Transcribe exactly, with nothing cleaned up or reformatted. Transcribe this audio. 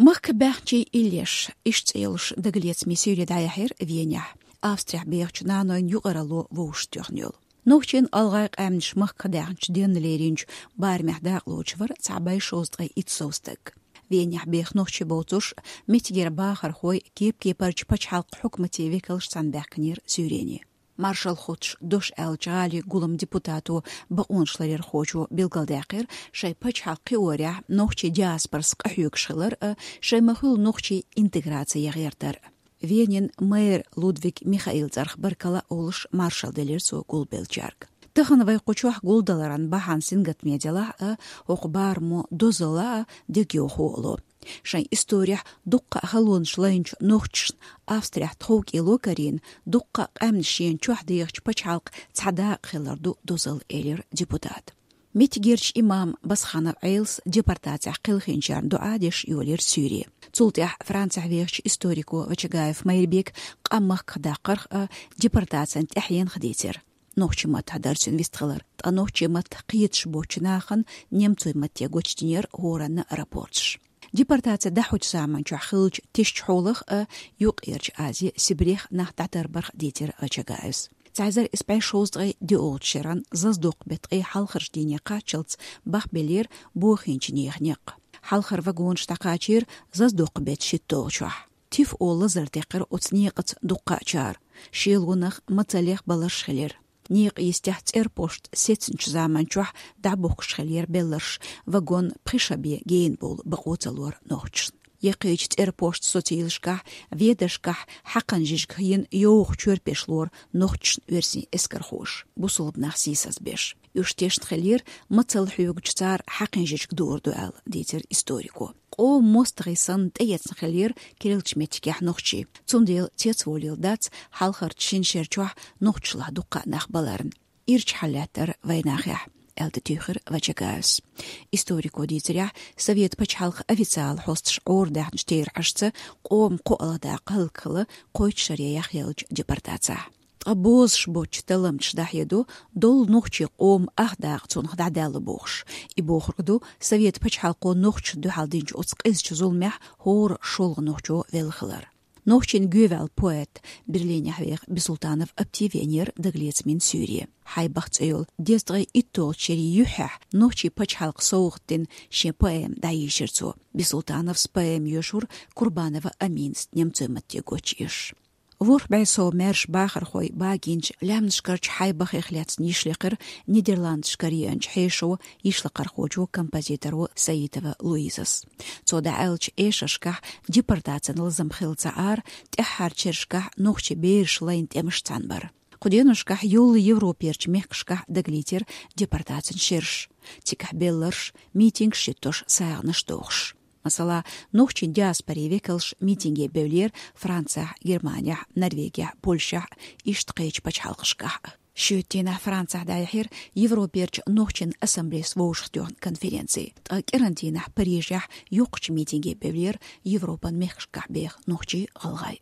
«Махка баьхначийн иллеш» ишта цӀе йолуш дагалецамийн суьйре дӀаяьхьира Венехь, Австрехь бехачу нанойн юкъаралло вовшахтоьхна йолу. Нохчийн, гӀалгӀайн къаьмнаш махка даьхначу денна леринчу барамехь дакъалоцуш вара цхьа бӀе шовзткъе итт сов стаг. Венехь беха нохчий боцурш, меттигера бахархой, кеп-кепарчу пачхьалкхан хьукматийн векалш цхьаьна баьхкинера суьйрене. Маршалла хуттуш дош аьллачу гӀалин гуламан депутато, бакъонашларъярхочо билгалдаьккхира шайн пачхьалкх кхиорехь нохчийн диаспорас къахьоьгуш хилар а, шайн ма-хуьллу нохчийн интеграци ян гӀертар а. Венин мэр Лудвиг Михаил цӀарах баркалла а олуш, маршалла делира цо гулбеллачаьрга. Тахана вай кху чохь гулдаларан бахьана сингаттаме делахь а, хӀокху барамо дозалла а, дегайовхо а ло. Шайн историхь дуккха а халонаш лайначу нохчашна Австрехь тховкӀело карийна, дуккха а къаьмнаш шена чохь дехачу пачхьалкхан цхьа дакъа хилар ду дозалла, элира депутата. Меттигерчу имам Басханов Ӏелас депортацехь кхелхинчарна дуӀа деш йолийра суьйре. Цул тӀаьхьа Францехь вехачу историко Вачагаев Майрбека къам махках даккхарх а, депортацин тӀаьхьенах а дийцира. Нохчийн маттахь дара цуьнан вистхилар, ткъа нохчийн маттах кхеташ боцчу нахана немцойн матте гочдинера хӀоранна рапорташ. Депортаци дӀахьочу заманчохь хиллачу тешачу хьолах а, Юккъерчу Азе, Сибрех нах дӀатарбарх а дийцира Вачагаевс. Цхьа эзар исс бӀе шовзткъе диъолчу шеран зазадоккху беттан ткъе хьалхарчу дийне кхаччалц бахбеллера бохийначу нехан некъ. Хьалхара вагонаш дӀакхачийра зазадоккху беттан шийтталгӀачохь. Тиф олу лазар декхира оцу некъаца дуккха а чар. Шелонах, мацаллех баларш хилира. Некъан йистехь цӀерпошт сецначу заманчохь дӀабохкуш хилира белларш, вагон пхи шо бен гена бовла бакъо ца лора нохчашна. Яккхийчу цӀерпошт социйлашкахь, ведаршкахь хьакханан жижиг хиъна йовха чорпеш лора нохчашна оьрсийн эскархоша, бусалба нах сийсаз беш. Уьш тешна хилира, мацалла хьоьгучу цара хьакхин жижиг дуур ду аьлла, дийцира историко. Къоман мостагӀий санна тӀеэцна хилира керлачу меттигехь нохчий. Цундела цецволийла дац хьалхарчу шина шер чохь нохчашлахь дуккха а нах баларна. Ирча хьал лаьттара вайнахехь, аьлла тӀетуьйхира Вачагаевс. Историко дийцарехь, Совет пачхьалкхан официалан хьосташа Ӏорадаьхначу терахьашца, къоман кхоалгӀа дакъа хӀаллакьхилла кхойтта шаре яхъеллачу депортацехь. Ткъа бозуш боцчу талламчаша дӀахьедо, долу нохчийн къоман ах дакъа цунах дӀадаьлла бохуш. И бохург ду, Совет пачхьалкхо нохчашна дуьхьал динчу оцу къизачу зуламехь хӀора шолгӀа нохчо велла хилар. Нохчийн гӀевелла поэт, Берлинехь веха Бисултанов Апти веанера дагалецамийн суьйре. «Хьайбах» цӀе йолу дезткъе иттолгӀачу шерийн юьххьехь нохчийн пачхьалкхан совгӀат дина шен поэма дӀайийшира цо. Бисултановс поэма йоьшура Курбанова Аминас немцойн матте гочйеш. ВорхӀ бӀе сов маьрша бахархой багийначу лаьмнашкарчу Хьайбахех лаьцна йиш лекхира Нидерландашкара еанчу хьешо, йишлакхархочо, композиторо Саитова Луизас. Цо дӀааьллачу эшаршкахь депортацин лазам хилла ца Ӏара, тӀаьххьарчу шерашкахь нохчийн бераш лайна тӀемаш цхьаьна бара. Кху деношкахь йоллу Европерчу мехкашкахь дагалийтира депортацин шераш, цигахь белларш, митингаш йиттош, сагӀанаш дохуш. Масала, нохчийн диаспорин векалш митинге бевллера Францехь, Германехь, Норвегехь, Польшехь, иштта кхечу пачхьалкхашкахь а. Шоьтан дийнахь Францехь дӀаяьхьира Европерчу нохчийн ассамблейс вовшахтоьхна конференци. Ткъа кӀиран дийнахь Парижехь йоккхачу митинге бевллера Европан мехкашкахь беха нохчий, гӀалгӀай.